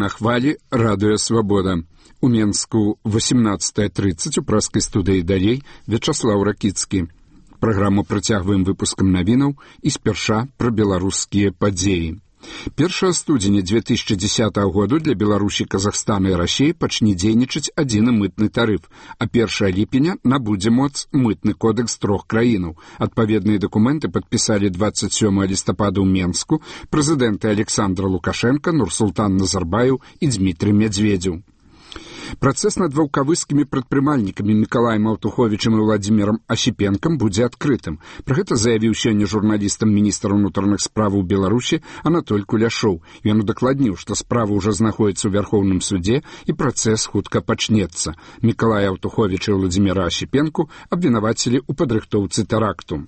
на хвалі радыё «Свабода». У Менску 18:30 у праскай студыі «Далей» Вячаслаў Ракіцкі. Праграму працягваем выпускам навінаў і спярша пра беларускія падзеі. 1 студзеня 2010 году для Беларусі, Казахстана і Расіі пачне дзейнічаць адзіны мытны тарыф, а 1 ліпеня набудзе моц мытны кодэкс трох краінаў. Адпаведныя дакументы падпісалі 27 лістапада ў Менску прэзідэнты Александр Лукашенко, Нурсултан Назарбаев і Дмітрий Медведзеў. Працэс над ваўкавыскімі прадпрымальнікамі Мікалаем Аўтуховічам і Владзімірам Асіпенкам будзе адкрытым. Пра гэта заявіў сёння журналістам міністр унутраных справаў Беларусі Анатоль Куляшоў. Ён удакладніў, што справа ўжо знаходзіцца ў Вярхоўным судзе і працэс хутка пачнецца. Мікалая Аўтуховіча і Владзіміра Асіпенку абвінавацілі ў падрыхтоўцы тэракту.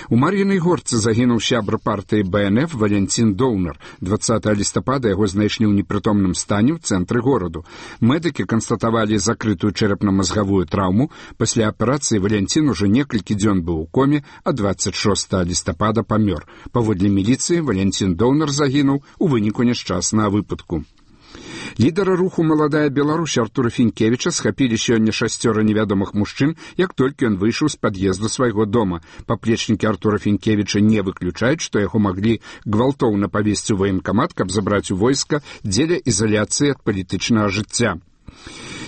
У Мар'інай Горцы загінуў сябра партыі БНФ Валянцін Доўнар. 20 лістапада яго знайшлі ў непрытомным стане ў цэнтры гораду. Медыкі канстатавалі закрытую чэрапна-мазгавую траўму. Пасля аперацыі Валянцін ужо некалькі дзён быў у коме, а 26 лістапада памёр. Паводле міліцыі, Валянцін Доўнар загінуў у выніку няшчаснага выпадку. Лідара руху «Маладая Беларусь» Артура Фінкевіча схапілі сёння 6 невядомых мужчын, як толькі ён выйшаў з пад'езду свайго дома. Паплечнікі Артура Фінкевіча не выключаюць, што яго маглі гвалтоўна павесці ў ваенкамат, каб забраць у войска дзеля ізаляцыі ад палітычнага жыцця.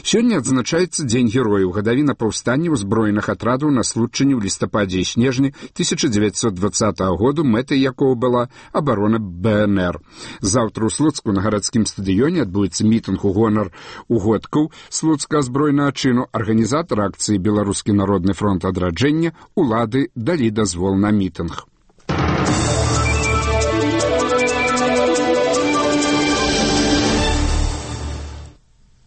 Сёння адзначаецца Дзень герояў, гадавіна паўстання ўзброеных атрадаў на Случчыне ў лістападзе і снежні 1920 году, мэтай якого была абарона БНР. Заўтра ў Слуцку на гарадскім стадыёне адбудзецца мітынг у гонар угодкаў слуцкага збройнага чыну. Арганізатар акцыі «Беларускі народны фронт адраджэння» улады далі дазвол на мітынг.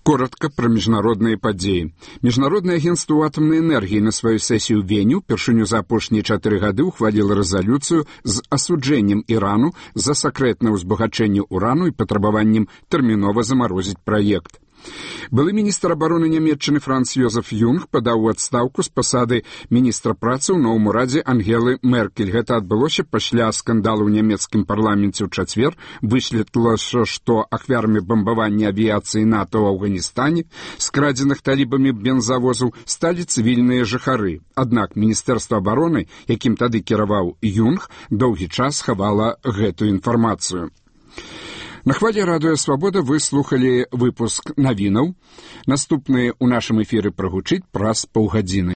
Коротко пра міжнародныя падзеі. Міжнароднае агенцтва атамнай энергіі на сваю сесію ў Вені ўпершыню за апошнія 4 гады ўхваліла рэзалюцыю з асуджэннем Ірану за сакрэтнае ўзбагачэнне урану і патрабаваннем тэрмінова замарозіць праект. Былы міністр абароны Нямецчыны Франц Йозеф Юнг падаў у адстаўку з пасады міністра працы ў новым урадзе Ангелы Меркель. Гэта адбылося пасля скандалу ў нямецкім парламенце ў чацвер. Высветлілася, што ахвярамі бамбавання авіяцыі НАТО ў Афганістане, скрадзеных талібамі бензавозаў, сталі цывільныя жыхары. Аднак міністэрства абароны, якім тады кіраваў Юнг, доўгі час хавала гэтую інфармацыю. На хвале радыё «Свабода» вы слухалі выпуск навінаў. Наступныя ў нашым эфіры прагучыць праз паўгадзіны.